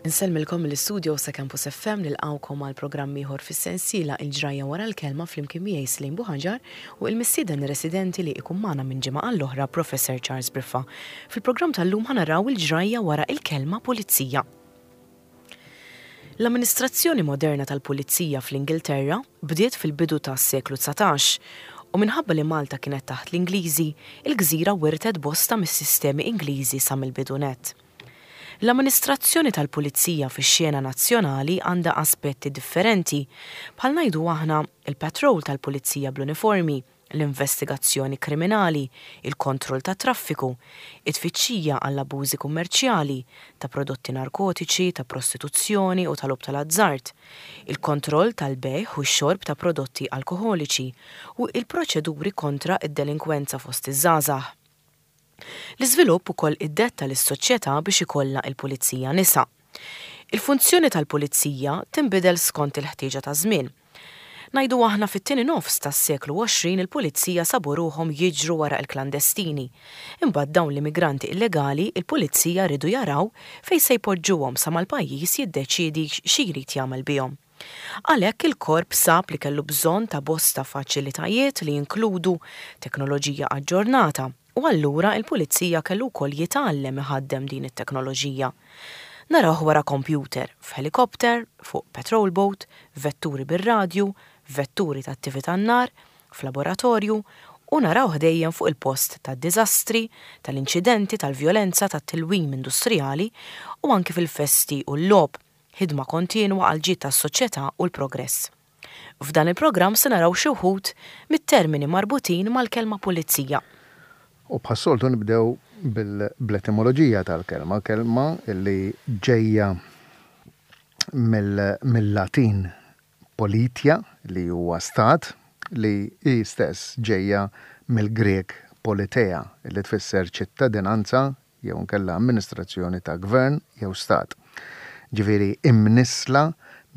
Insellmilkom mill-istudio sa Campus FM nilqgħukom għal programm ieħor fis-sensiela Il-Ġrajja Wara l-Kelma flimkien miegħi Slim Buħaġar u il-mistieden residenti li ikun magħna minn ġimgħa għall-oħra Professor Charles Briffa. Fil-programm tal-lum ħa naraw il-ġrajja wara il-kelma pulizija. L-amministrazzjoni moderna tal-pulizija fl-Ingilterra bdiet fil-bidu tas-seklu 19 u minħabba li Malta kienet taħt l-Ingliżi, il-gżira wirtet bosta mis-sistemi Ingliżi sa mill-bidu nett. L-amministrazzjoni tal-pulizija fix-xena nazzjonali għandha aspetti differenti, bħal ngħidu aħna, il-patrol tal-pulizija bl-uniformi, l-investigazzjoni kriminali, il-kontroll tat-traffiku, it-tfittxija għall-abbużi kummerċjali, ta' prodotti narkotiċi, ta' prostituzzjoni u ta' logħob tal-azzard, il-kontroll tal-bejgħ u x-xorb ta' prodotti alkoħoliċi, u il-proċeduri kontra d-delinkwenza fost iż-żgħażagħ. L-iżvilupp ukoll iddetta lis-soċjetà biex ikollha il-pulizija nisa. Il-funzjoni tal-pulizija tinbidel skont il-ħtieġa taż-żmien. Ngħidu aħna fit-tieni nofs tas-seklu 20 il-pulizija sabu ruħhom jiġru wara il-klandestini. Imbagħad dawn l-immigranti illegali il-pulizija riedu jaraw fejn se jpoġġuhom sa ma l-pajjiż jiddeċiedi xi jrid jagħmel bihom. Għalhekk il-Korp sab li kellu bżonn ta' bosta faċilitajiet li jinkludu teknoloġija aġġornata u allura il-Pulizija kellu wkoll jitgħallem iħaddem din it-teknoloġija. Narawh wara kompjuter, f'ħelikopter, fuq patrol boat, f'vetturi bir-radju, f'vetturi tat-tifi tan-nar, f'laboratorju u narawh dejjem fuq il-post tad-diżastri, tal-inċidenti, tal-vjolenza, tat-tilwim industrijali u anki fil-festi u l-logħob. Ħidma kontinwa għall-ġid tas-soċjetà u l-progress. F'dan il-programm se naraw xi wħud mit-termini marbutin mal-kelma pulizija. U bħas-soltu nibdew bl-etimoloġija tal-kelma, kelma li ġejja mill-Latin politia li huwa stat, li hi stess ġejja mill-Grieg politeia li tfisser ċittadinanza jew inkella amministrazzjoni ta' gvern jew stat. Ġifieri imnissla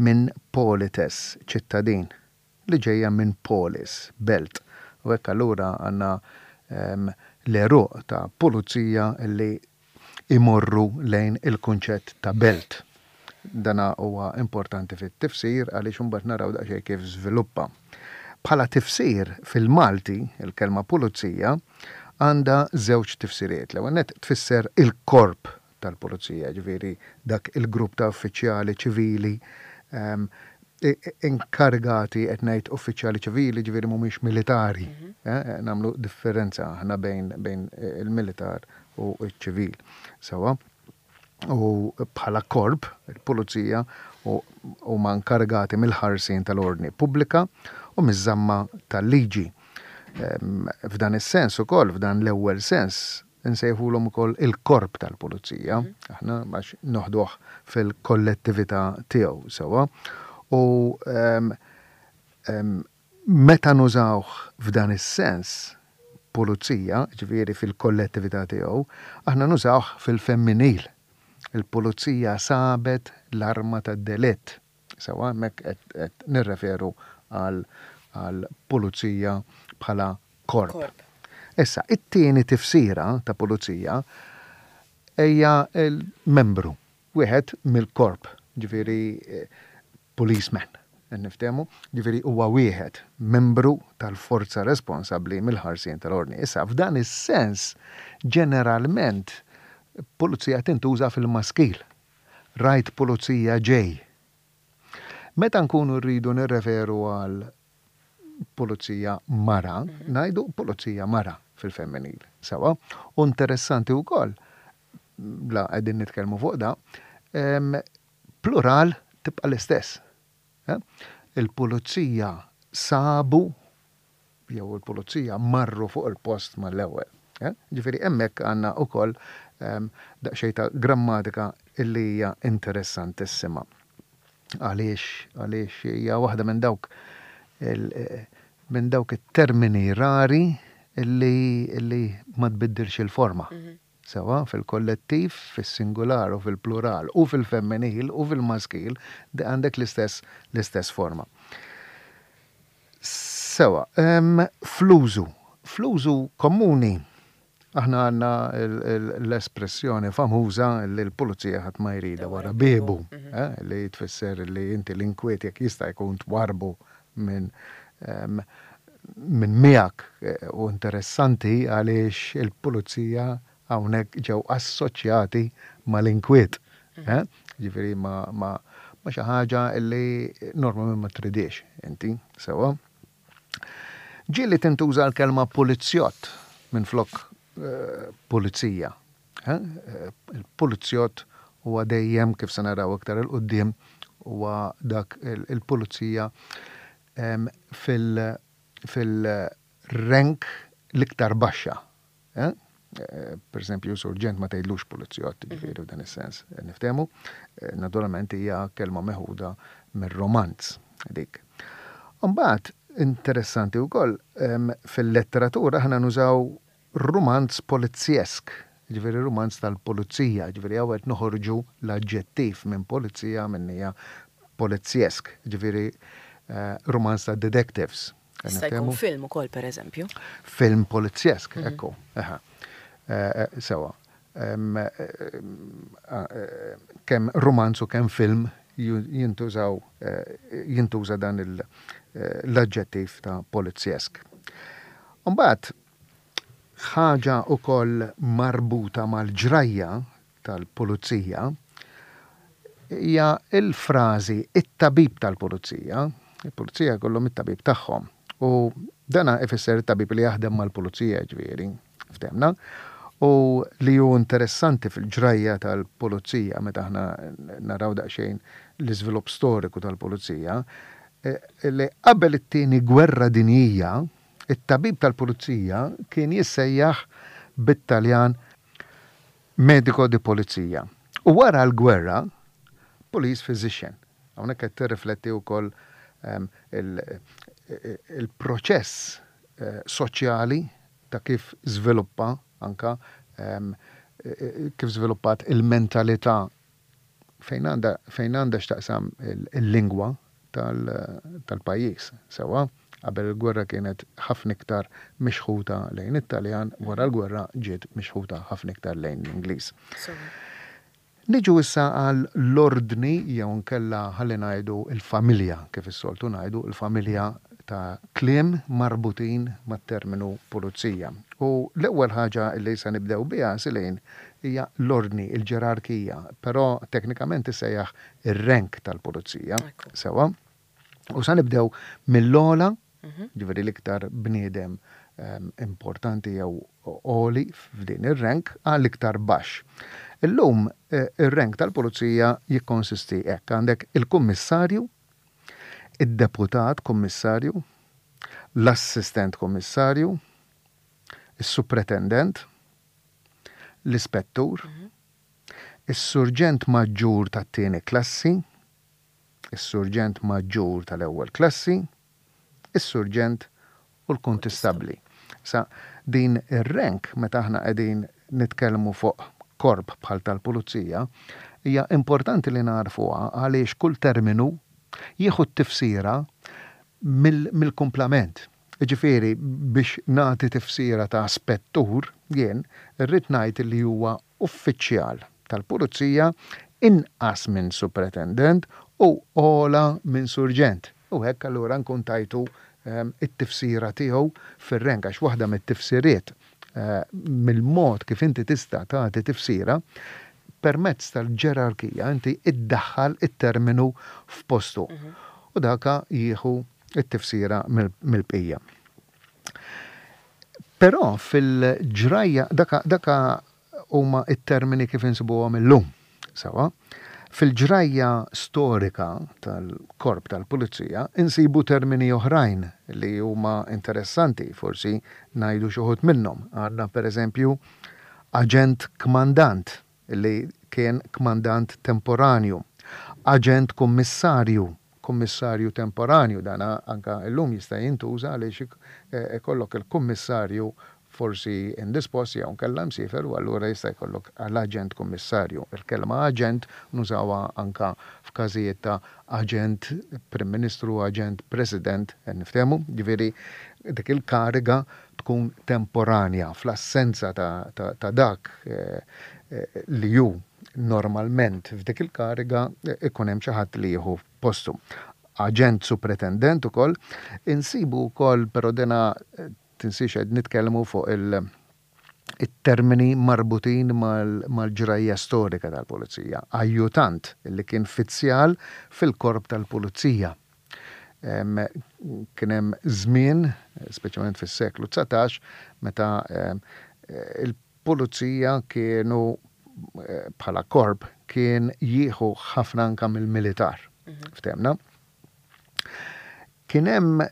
minn polites, ċittadin, li ġejja minn polis, belt. U hekk allura għandna l-għeruq ta' pulizija li jmorru lejn il-kunċett ta' belt. Dana huwa importanti fit-tifsir għaliex imbagħad naraw daqsxejn kif żviluppa. Bħala tifsir fil-Malti, il-kelma pulizija għandha żewġ tifsiriet. L-ewwel nett tfisser il-korp tal-pulizija, ġifieri dak il-grupp ta' uffiċjali ċivili inkarigati, qed ngħid uffiċjali ċivili, ġifieri mhumiex militari. Nagħmlu differenza aħna bejn il-militar u ċ-ċivil. Sewwa. U bħala korp, il-pulizija huma inkarigati mill-ħarsien tal-ordni pubblika u miż-żamma tal-liġi. F'dan is-sens ukoll, f'dan l-ewwel sens, insejħulhom ukoll il-korp tal-pulizija, aħna għax noħduh fil-kollettività tiegħu sewwa. U Meta nużawh f'dan is-sens, pulizija, jiġifieri fil-kollettività tiegħu, aħna nużawh fil-femminil. Il-pulizija sabet l-arma tad-delitt. Sewwa, hemmhekk qed nirreferu għal pulizija bħala korp. Issa, it-tieni tifsira ta' pulizija hija l-membru. Wieħed mill-korp, ġifieri policeman, qed niftehmu, ġifieri huwa wieħed membru tal-forza responsabbli mill-ħarsien tal-ordni. Issa, f'dan is-sens, ġeneralment, pulizija tintuża fil-maskil. Rajt pulizija ġej. Meta nkunu rridu nirreferu għal pulizija mara, ngħidu pulizija mara fil-femminil. Sewwa? U interessanti wkoll, la qegħdin nitkellmu fuq da, plural tibqa' l-istess. Il-pulizija sabu jew il-pulizija marru fuq il-post mal-ewwel. Ġifieri hemmhekk għandna wkoll daqsxejn ta' grammatika illi hija interessantissima. Għaliex? Għaliex hija waħda minn dawk minn dawk it-termini rari illi illi ma tbiddilx il-forma. Sewwa, fil-kollettiv, fis-singular u fil-plural u fil-femminil u fil-maskil għandek l-istess l-istess forma. Sewwa, fl-użu, fl-użu komuni. Aħna għandna l-espressjoni famuża li l-pulizija ħadd ma jridha wara biebu, li tfisser li inti l-inkwiet jekk jista' jkun twarrbu minn minn miegħek u interessanti għaliex il-pulizija hawnhekk ġew assoċjati mal-inkwiet. Ġifieri ma' ma' xi ħaġa li normalment ma tridhiex inti, sewwa. Ġieli tintuża l-kelma pulizjott minflok pulizija. Il-pulizjott huwa dejjem, kif se naraw iktar 'il quddiem, huwa dak il-pulizija fil-rank l-iktar baxxa. Per eżempju, surġent ma tgħidlux pulizjott, ġifieri f'dan is-sens niftehmu. Naturalment hija kelma meħuda mir-romanz dik. Imbagħad interessanti wkoll fil-letteratura aħna nużaw rumanz polizjesk, ġifieri rumanz tal-pulizija, ġifieri hawn qed noħorġu l-aġġettiv minn pulizija minn hija polizjesk, ġifieri rumanz ta' detectives. Jista' jkun film ukoll pereżempju. Film polizjesk, ekku. Eħe. Sewa. Kemm rumanz u kemm film jintużaw jintuża dan l-aġġettiv ta' polizjesk. Imbagħad ħaġa wkoll marbuta mal-ġrajja tal-pulizija hija l-frażi it-tabib tal-pulizija. Il-pulizija jkollhom it-tabib tagħhom. U dana ifisser it-tabib li jaħdem mal-pulizija ġifieri, ftehmna. U li hu interessanti fil-ġrajja tal-pulizija meta aħna naraw daqsxejn l-iżvilupp storiku tal-pulizija, li qabel it-tieni gwerra dinjija, it-tabib tal-pulizija kien jissejjaħ bit-Taljan Medico di polizia. U wara l-gwerra, police physician. Hawnhekk qed tirrifletti wkoll il-proċess soċjali ta' kif żviluppa anke kif żviluppat il-mentalità fejn għandha fejn għandha x'taqsam il-lingwa tal-pajjiż. Sewwa, qabel il-gwerra kienet ħafna iktar mixħuta lejn it-Taljan, wara l-gwerra ġiet mixħuta ħafna iktar lejn l-Ingliż. Niġu issa għal l-ordni jew inkella ħalli ngħidu l-familja, kif is-soltu ngħidu, il-familja ta' kliem marbutin mat-terminu pulizija. U l-ewwel ħaġa li se nibdew biha, Celine, hija l-ordni, il-ġerarkija, però teknikament tissejjaħ ir-rank tal-pulizija. Sewwa. U sa nibdew mill-ogħla, ġifieri l-iktar bniedem importanti jew għoli f'din ir-rank għal iktar baxx. Illum ir-rank tal-pulizija jikkonsisti hekk, għandek il-kummissarju, id-deputat kummissarju, l-assistent kummissarju, is-supretendent, l-ispettur, is-surġent maġġur tat-tieni klassi, is-surġent maġġur tal-ewwel klassi, is-surġent u l-kuntistabbli. Issa, din ir-rank meta aħna qegħdin nitkellmu fuq korp bħal tal-pulizija, hija importanti li nagħrfuha għaliex kull terminu jieħu t-tifsira mill-kumplament. Jiġifieri, biex nagħti tifsira ta' spettur, jien irrid ngħid li huwa uffiċjal tal-pulizija inqas minn supretendent u ogħla minn surġent. U hekk allura nkun tajtu t-tifsira tiegħu fir-rank għax waħda mit-tifsiriet mill-mod kif inti tista' tagħti tifsira permezz tal-ġerarkija inti iddaħħal it-terminu f'postu. U daka jieħu t-tifsira mill-bqija. Però fil-ġrajja, daka, daka huma t-termini kif insibuhom illum. Sewwa? Fil-ġrajja storika tal-Korp tal-Pulizija insibu termini oħrajn li huma interessanti, forsi ngħidu xi wħud minnhom. Għandna pereżempju aġent kmandant li kien kmandant temporanju, aġent kummissarju, kummissarju temporanju, dan anke llum jista' jintuża għaliex ikollok il-kummissarju forsi indispost jew inkella msiefer u allura jista' jkollok l-aġent kummissarju. Il-kelma aġent nużawha anke f'każijiet ta' aġent Prim Ministru, aġent President, qed niftehmu? Jiġifieri dik il-kariga tkun temporanja fl-assenza ta' dak li hu normalment f'dik il-kariga ikun hemm xi ħadd li jieħu postu. Aġent supretendent ukoll, insibu wkoll però dina tinsiex qed nitkellmu fuq il- it-termini marbutin mal-ġrajja storika tal-Pulizija. Ajjutant li kien fizzjal fil-Korp tal-Pulizija. Kien hemm żmien, speċjalment fis-seklu 19, meta il-Pulizija kienu bħala korp kien jieħu ħafna anka mill-militar. Ftehmna? Kien hemm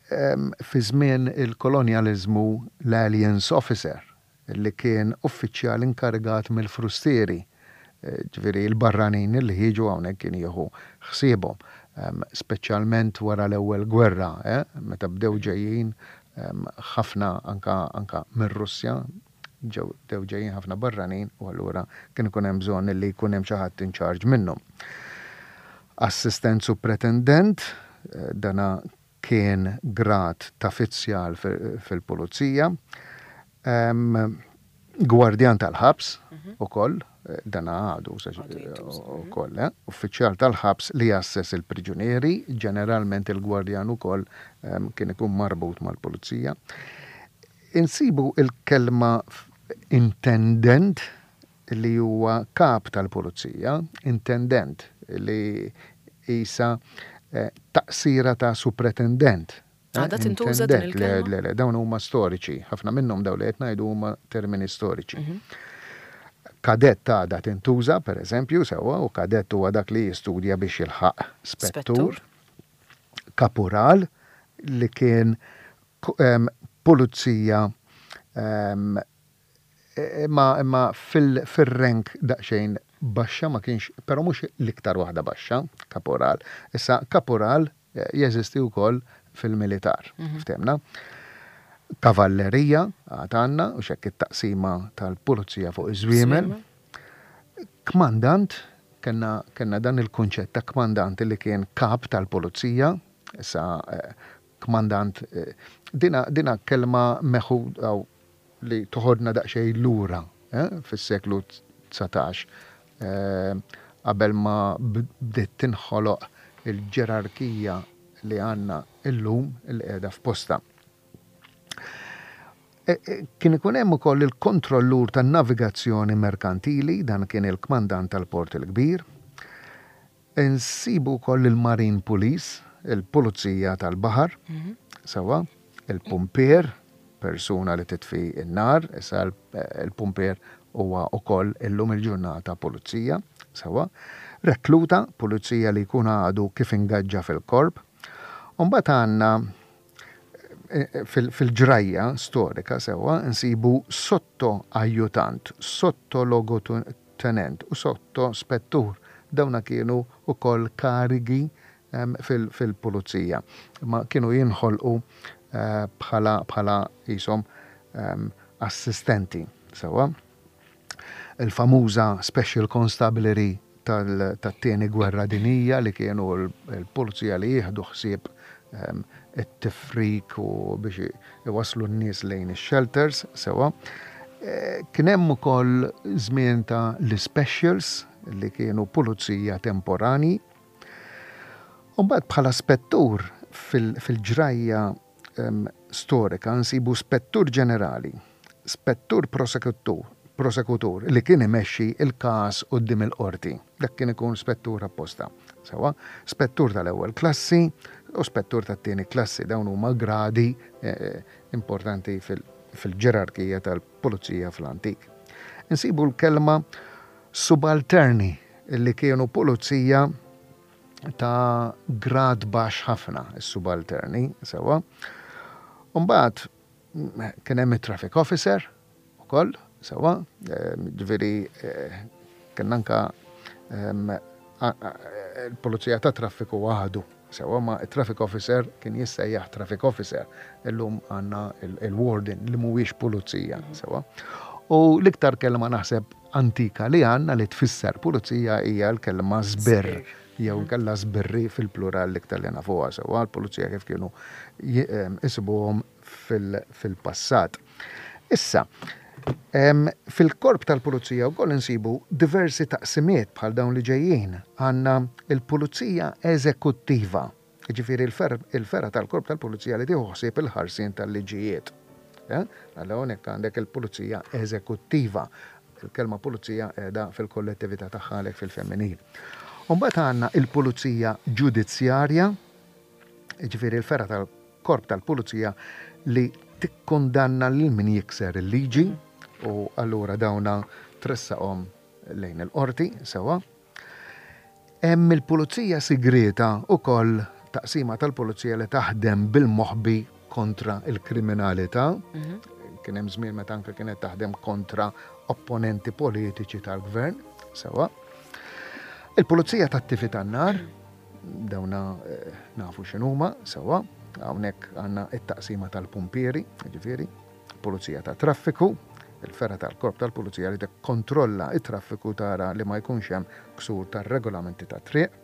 fi żmien il-kolonjaliżmu l-Aliens Officer li kien uffiċjal inkarigat mill-frustieri, ġifieri l-barranin li jiġu hawnhekk kien jieħu ħsiebhom, speċjalment wara l-ewwel gwerra, meta bdew ġejjin ħafna anka anka mir-Russja, ġew bdew ġejjin ħafna barranin u allura kien ikun hemm bżonn li jkun hemm xi ħadd in charge minnhom. Assistent supretendent, dana kien grad ta' fizzjal fil-pulizija. Gwardjan tal-ħabs ukoll, dana għadu ukoll, uffiċjal tal-ħabs li jgħasses il-priġunieri, ġeneralment il-gwardjan ukoll kien ikun marbut mal-pulizija. Insibu l-kelma intendent li huwa kap tal-pulizija, intendent li qisha taqsira ta' supretendent. Għadha tintuża din il-kelma? Le, le, dawn huma storiċi. Ħafna minnhom dawn li qed ngħidu huma termini storiċi. Kadett għadha tintuża, per eżempju, sewwa, u kadett huwa dak li jistudja biex jilħaq spettur. Kapural li kien pulizija imma imma fil-rank daqsxejn baxxa ma kienx, però mhux l-iktar waħda baxxa, kaporal. Issa kaporal jeżisti wkoll fil-militar, ftehmna. Kavallerija għad għandna, u x'hekk it-taqsima tal-pulizija fuq iż-żwiemel. Kmandant, kellna kellna dan il-kunċett ta' kmandant li kien kap tal-pulizija, issa Kmandant, dina, dina kelma meħuda li toħodna daqsxejn lura fis-seklu 19, qabel ma bdiet tinħoloq il-ġerarkija li għandna illum li qiegħda f'postha. Kien ikun hemm ukoll il-kontrollur tan-navigazzjoni merkantili, dan kien il-kmandant tal-Port il-Kbir. Insibu wkoll il-Marine Police, il-Pulizija tal-Baħar, sewwa, il-pumpier, persuna li titfi n-nar, issa l-pumpier huwa wkoll illum il-ġurnata pulizija, sewwa, rekluta, pulizija li jkun għadu kif ingaġġa fil-korp. U mbagħad għandna fil-ġrajja storika sewwa nsibu sotto ajjutant, sotto logotenent u sotto spettur. Dawna kienu wkoll karigi fil-pulizija. Ma kienu jinħolqu bħala bħala qishom assistenti sewwa. Il-famuża Special Constabulary tat-Tieni Gwerra Dinjija li kienu l-pulizija li jieħdu ħsieb it-tifrik u biex iwasslu n-nies lejn ix-shelters sewwa. Kien hemm ukoll żmien ta' l-ispecials li kienu pulizija temporanji. U mbagħad bħala spettur fil-ġrajja storika nsibu spettur ġenerali, spettur prosekutur li kien imexxi l-każ quddiem il-qorti. Dak kien ikun spettur apposta. Sewwa, spettur tal-ewwel klassi u spettur tat-tieni klassi. Dawn huma gradi importanti fil-ġerarkija tal-pulizija fl-antik. Insibu l-kelma subalterni li kienu pulizija ta' grad baxx ħafna, is-subalterni, sewwa. U mbagħad kien hemm it-traffic officer ukoll, sewwa, ġifieri kien anka il-pulizija ta' traffiku għadu, sewwa, ma it-traffic officer kien jissejjaħ traffic officer. Illum għandna il-warden li mhuwiex pulizija, sewwa. U l-iktar kelma naħseb antika li għandna li tfisser pulizija hija l-kelma żbirr jew inkella żbirri fil-plural l-iktar li nafuha sewwa, l-pulizija kif kienu isibuhom fil-passat. Issa, fil-korp tal-pulizija wkoll insibu diversi taqsimiet bħal dawn li ġejjin. Għandna l-pulizija eżekuttiva, jiġifieri l-fergħa tal-korp tal-pulizija li tieħu ħsieb il-ħarsien tal-liġijiet. Allura hawnhekk għandek il-pulizija eżekuttiva. Il-kelma pulizija qiegħda fil-kollettività tagħha għalhekk fil-femminil. U mbagħad għandna l-pulizija ġudizzjarja, jiġifieri l-fergħa tal-korp tal-pulizija li tikkundanna lil min jikser il-liġi u allura dawna tressaqhom lejn il-qorti sewwa. Hemm il-pulizija sigrieta wkoll taqsima tal-pulizija li taħdem bil-moħbi kontra l-kriminalità. Mhm. Kien hemm żmien meta anke kienet taħdem kontra opponenti politiċi tal-gvern, sewwa. Il-pulizija tat-tifi tan-nar, dawna eh, nafu x'inhuma, sewwa, hawnhekk għandna it-taqsima tal-pumpieri, ġifieri, pulizija ta' traffiku, il-fergħa tal-korp tal-pulizija li tikkontrolla it-traffiku tara li ma jkunx hemm ksur tar-regolamenti tat-triq.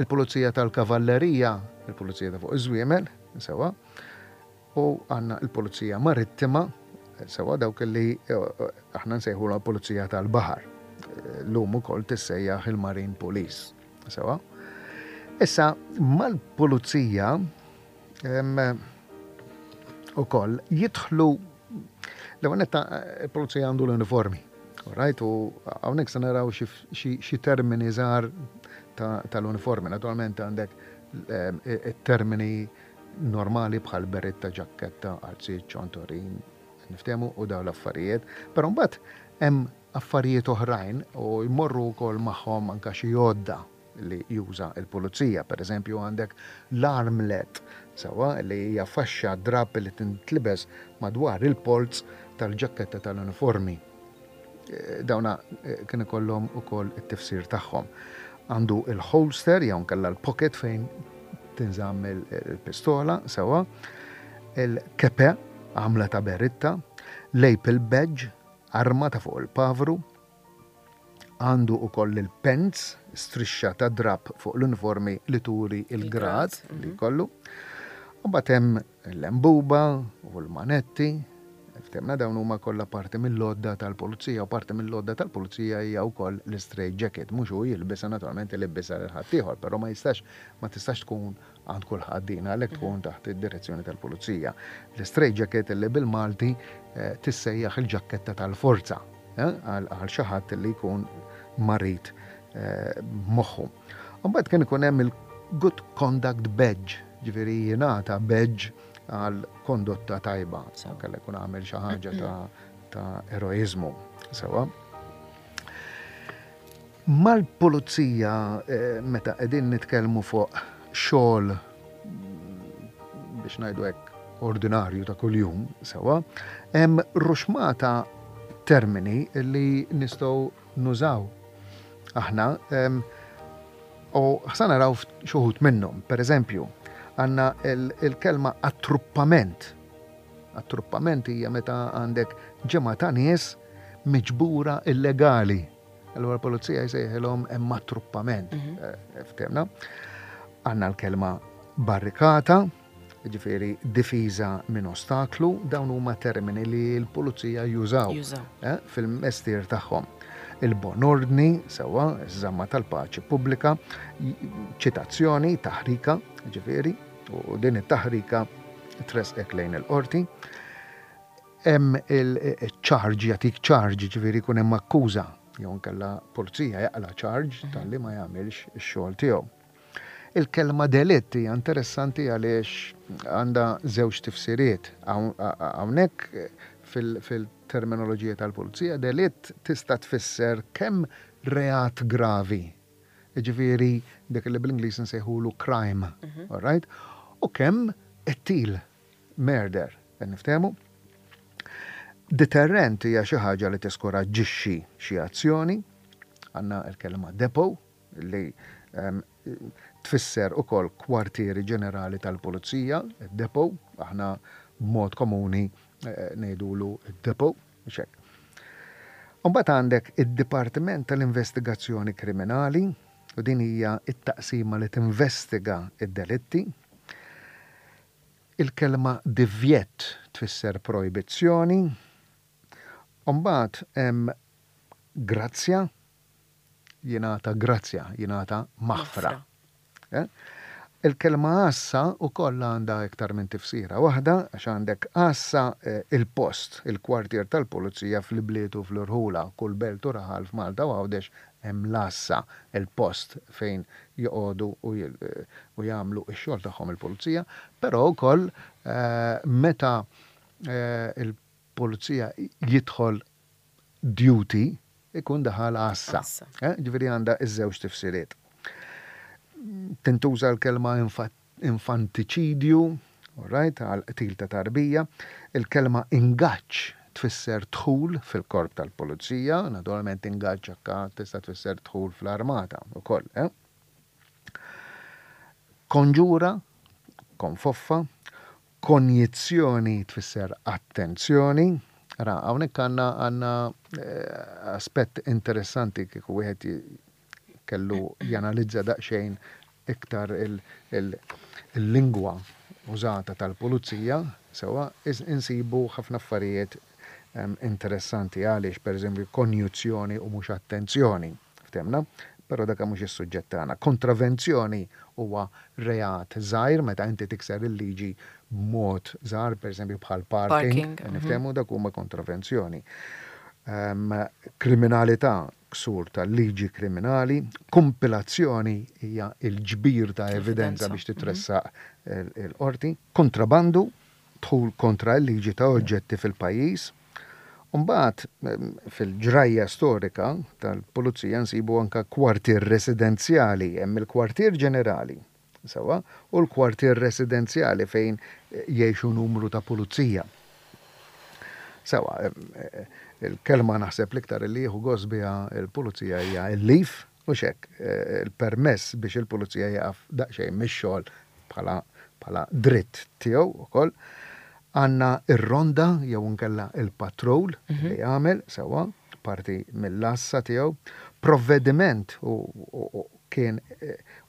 Il-pulizija tal-kavallerija, il-pulizija ta' fuq iż-żwiemel, sewwa, u għandna l-pulizija marittima, sewwa dawk li eh, aħna nsejħu l-pulizija tal-baħar. Lum ukoll tissejjaħ il-Marine Police. Sewwa. Issa mal-pulizija ukoll jidħlu l-ewwel netta il-pulizija għandu l-uniformi. Right, u hawnhekk se naraw xi termini żgħar tal-uniformi. Naturalment għandek it-termini normali bħal beretta, ġakketta, qalziet, ċontorin, niftehmu u dawn l-affarijiet. Però mbagħad hemm affarijiet oħrajn u jmorru wkoll magħhom anke xi għodda li juża l-pulizija. Per eżempju għandek l-armlet, sewwa, li hija faxxa drapp li tintlibes madwar il-polz tal-ġakketta tal-uniformi. Dawna kien ikollhom ukoll it-tifsir tagħhom. Għandu il-holster jew nkella l-pocket fejn tinżamm il-pistola, sewwa, il-kepe għamla ta' beritta, l-lapel badge, arma ta' fuq il-pavru, Għandu ukoll il-pants, strixxa ta' drapp fuq l-uniformi li turi l-grad li jkollu. U mbagħad hemm l-lembuba u l-manetti. Ftehmna dawn huma kollha parti mill-għodda tal-pulizija u parti mill-għodda tal-pulizija hija wkoll l-istraight jacket. Mhux hu jilbisha naturalment ilibbisha lil ħaddieħor, però ma jistax ma tistax tkun għand kulħadd din għalhekk tkun taħt id-direzzjoni tal-pulizija. L-istraight jacket li bil-Malti eh, tissejjaħ il-ġakketta tal-forza. Għal xi ħadd li jkun marid moħħu. Mbagħad kien ikun hemm il-Good Conduct Badge, ġifieri jingħata badge għal kondotta tajba, kellha jkun għamel xi ħaġa ta' eroiżmu. Sewa. Mal-pulizija eh, meta qegħdin nitkellmu fuq xogħol biex ngħidu hekk ordinarju ta' kuljum, sewwa, hemm ruxmata termini li nistgħu nużaw aħna u ħsa naraw xi wħud minnhom. Per eżempju, għandna il-kelma attruppament. Attruppament hija meta għandek ġemgħa ta' nies miġbura illegali. Allura l-pulizija jsejħilhom hemm attruppament. Mhm. Eh, Ftemna. Għandna l-kelma barrikata, ġifieri difiża minn ostaklu, dawn huma termini li l-pulizija jużaw eh, fil-mestier tagħhom. Il-bon ordni, sewwa, iż-żamma tal-paċi pubblika, ċitazzjoni, taħrika, ġifieri, u din it-taħrika tresqek lejn il-qorti. Hemm il-charge, jagħtik charge, ġifieri jkun hemm akkuża, jew inkella pulizija jaqla' charge mhm. talli ma jagħmilx ix-xogħol tiegħu. Il-kelma delitt hija interessanti għaliex għandha żewġ tifsiriet. Hawnhekk fil-terminoloġija tal-pulizija delitt tista' tfisser kemm reat gravi, jiġifieri dik li bl-Ingliż nsejħulu crime, mhm. all right? U kemm qtil murder, qed niftehmu? Deterrent hija xi ħaġa li tiskoraġġixxi xi azzjoni. Għandna l-kelma depot li ehm, tfisser ukoll kwartieri ġenerali tal-pulizija, depot, aħna b'mod komuni eh, ngħidulu depot, mhux hekk. Imbagħad għandek id-Dipartiment tal-Investigazzjoni Kriminali, u din hija t-taqsima li tinvestiga d-delitti. Il-kelma divjett tfisser projbizzjoni. U mbagħad hemm grazzja, jingħata grazzja, jingħata maħfra. Eh? Il-kelma għassa wkoll għandha iktar minn tifsira waħda għax għandek għassa eh, il-post, il-kwartier tal-pulizija fl-ibliet u fl-irħula, kull belt u raħal f'Malta u Għawdex hemm l-għassa, il-post fejn joqogħdu u jagħmlu x-xogħol tagħhom il-pulizija, però wkoll eh, meta il-pulizija jidħol duty ikun daħal għassa. Eh, ġifieri għandha iż-żewġ tifsiriet. Tintuża l-kelma infantiċidju, right, għal qtil ta' tarbija, il-kelma ingaġġ tfisser dħul fil-korp tal-pulizija, naturalment ingaġġ anka tista' tfisser dħul fl-armata wkoll. Eh? Konġura, konfoffa, Konjizzjoni tfisser attenzjoni. Ara, hawnhekk għandna għandna eh, aspett interessanti kieku wieħed kellu janalizza daqsxejn iktar il-lingwa użata tal-pulizija, sewwa, insibu ħafna affarijiet interessanti għaliex pereżempju konjuzzjoni u mhux attenzjoni. Ftehmna? Però dak mhux is-suġġett tagħna. Kontravenzjoni huwa reat żgħir meta inti tikser il-liġi b'mod żgħar, pereżempju bħal parking, niftehmu dak huma kontravenzjoni. Kriminalità, ksur tal-liġi kriminali, kumpilazzjoni hija l-ġbir ta' evidenza biex titressaq il-qorti, kontrabandu, dħul kontra l-liġi ta' oġġetti fil-pajjiż. U mbagħad fil-ġrajja storika tal-pulizija nsibu anke kwartier residenzjali, hemm il-kwartier ġenerali, sewwa, u l-kwartier residenzjali fejn jgħixu numru ta' pulizija. Sewwa, il-kelma naħseb l-iktar li jieħu gost biha l-pulizija hija l-leave, Mhux hekk, il-permess biex il-pulizija jieqaf daqsxejn mix-xogħol bħala bħala dritt tiegħu wkoll. Għandna r-ronda jew inkella il-patrol li jagħmel sewwa parti mill-għassa tiegħu. Provvediment u kien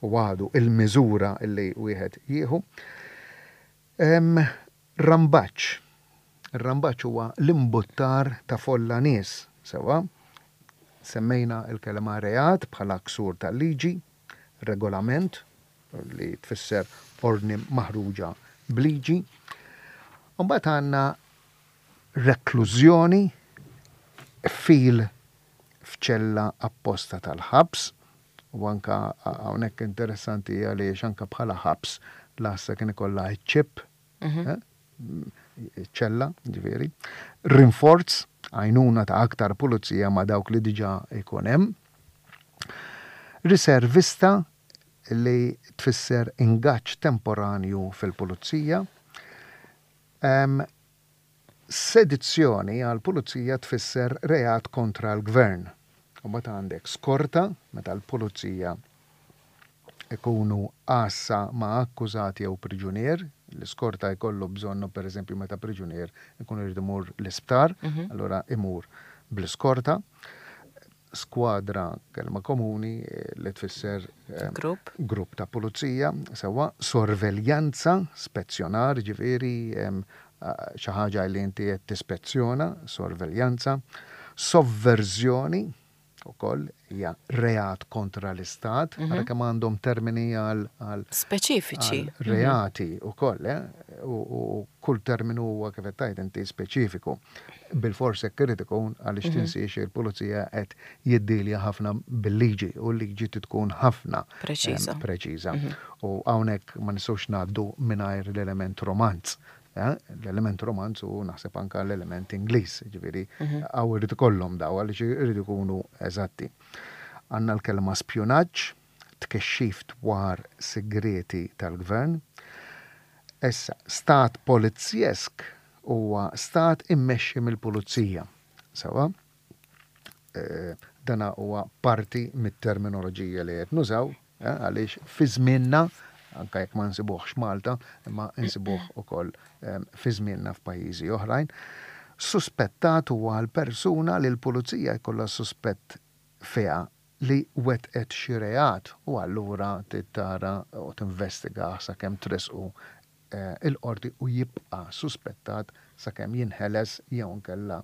u għadu il-miżura li wieħed jieħu. Rambaġġ. Ir-rambaġġ huwa l-imbuttar ta' folla nies, sewwa. Semmejna l-kelma reat bħala ksur tal-liġi, regolament, li tfisser ordni maħruġa b'liġi. U mbagħad għandna reklużjoni, qfil f'ċella apposta tal-ħabs, u anka hawnhekk interessanti għaliex anka bħala ħabs l-għassa kien ikollha ċ-ċipp, mhm. eh, ċella, ġifieri. Rinforz, għajnuna ta' aktar pulizija ma' dawk li diġà ikun hemm. Riservista li tfisser ingaġġ temporanju fil-pulizija. Sedizzjoni għall-pulizija tfisser reat kontra l-gvern. U mbagħad għandek skorta, meta l-pulizija ikunu għassa ma' akkużat jew priġunier, l-iskorta jkollu bżonnu pereżempju meta priġunier ikun irid imur l-isptar, allura imur bl-iskorta. Skwadra, kelma komuni li tfisser grupp, grupp ta' pulizija, sewwa, sorveljanza, spezzjonar, ġifieri xi ħaġa li inti qed tispezzjona, sorveljanza, sovverżjoni, ukoll hija reat kontra l-istat, ara kemm għandhom termini għal speċifiċi reati ukoll, eh? U kull terminu huwa kif qed tgħid inti speċifiku. Bilfors hekk irid ikun għaliex tinsiex il-pulizija qed jiddilja ħafna bil-liġi u l-liġi trid tkun ħafna preċiża. Preċiża. U hawnhekk ma nistgħux ngħaddu mingħajr l-element romanz. L-element romanz u naħseb anke l-element Ingliż, ġifieri hawn irid ikollhom daw għaliex irid ikunu eżatti. Għandna l-kelma spjunaġġ, tkexxif dwar sigrieti tal-gvern. Issa, stat polizjesk huwa stat immexxi mill-pulizija. Sewwa? Dana huwa parti mit-terminoloġija li qed nużaw, għaliex fi żmienna, anke jekk ma nsibuhx Malta, imma nsibuh ukoll fi żmienna f'pajjiżi oħrajn, suspettat huwa l-persuna li l-pulizija jkollha suspett fiha li wettqet xi reat u allura trid tara u tinvestigah sakemm tressqu. il-qorti u jibqa' suspettat sakemm jinħeles jew inkella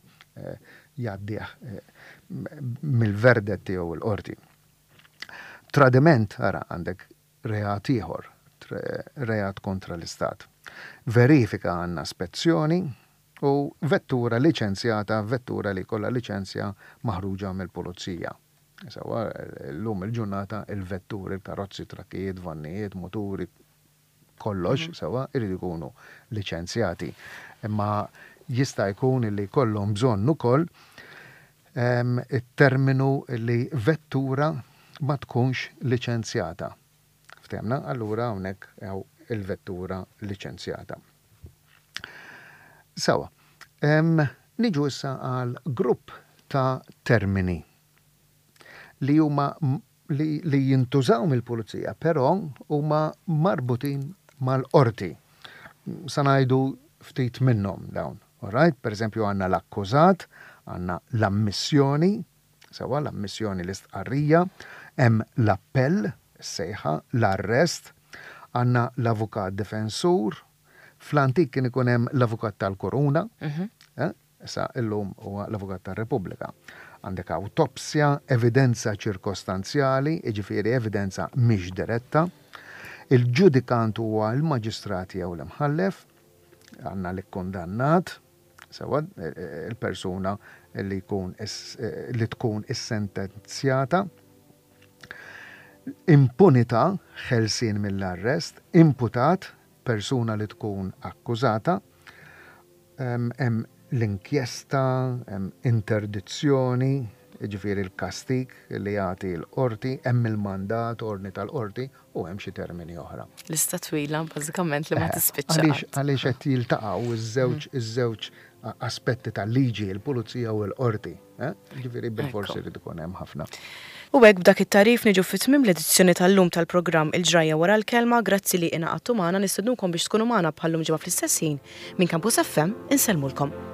jgħaddih mill-verdett tiegħu l-qorti. Tradiment, ara, għandek reat ieħor, reat kontra l-Istat. Verifika għandna spezzjoni u vettura liċenzjata, vettura li jkollha liċenzja maħruġa mill-pulizija. Sewwa, llum il-ġurnata il-vetturi, il-karozzi, trakkijiet, vannijiet, muturi, kollox, sewwa, iridu jkunu liċenzjati. Imma jista' jkun li jkollhom bżonn ukoll it-terminu li vettura ma tkunx liċenzjata. Ftehmna? Allura hawnhekk hawn il-vettura liċenzjata. Sewwa, niġu issa għal grupp ta' termini li huma li, li jintużaw mill-pulizija, però huma marbutin mal-qorti. Sa ngħidu ftit minnhom dawn. Alright? Per eżempju għandna l-akkużat, għandna l-ammissjoni, sewwa l-ammissjoni l-istqarrija, hemm l-appell, is-sejħa, l-arrest, għandna l-avukat difensur, fl-antik kien ikun hemm l-avukat tal-kuruna, eh? Issa illum huwa l-Avukat tar-Repubblika. Għandek awtopsja, evidenza ċirkostanzjali, jiġifieri evidenza mhix diretta. Il-ġudikant huwa l-maġistrat jew l-imħallef. Għandna l-ikkundannat, sewwa, il-persuna li jkun li tkun issentenzjata. Impunità, ħelsien mill-arrest. Imputat, persuna li tkun akkużata. Hemm l-inkjesta, hemm interdizzjoni, jiġifieri l-kastig li jagħti l-qorti, hemm il-mandat, ordni tal-qorti, u hemm xi termini oħra. Lista twila bażikament li ma tispiċċa. Għaliex għaliex qed jiltaqgħu iż-żewġ iż-żewġ aspetti tal-liġi, il-pulizija u l-qorti. Eh? Ġifieri bilfors irid ikun hemm ħafna. U hekk b'dak it-tagħrif niġu fi tmiem l-edizzjoni tal-lum tal-programm Il-Ġrajja Wara l-Kelma. Grazzi li ingħaqadtu magħna, nistednukom biex tkunu magħna bħal-lum ġimgħa fl-istess ħin. Minn Campus FM insellmulkom.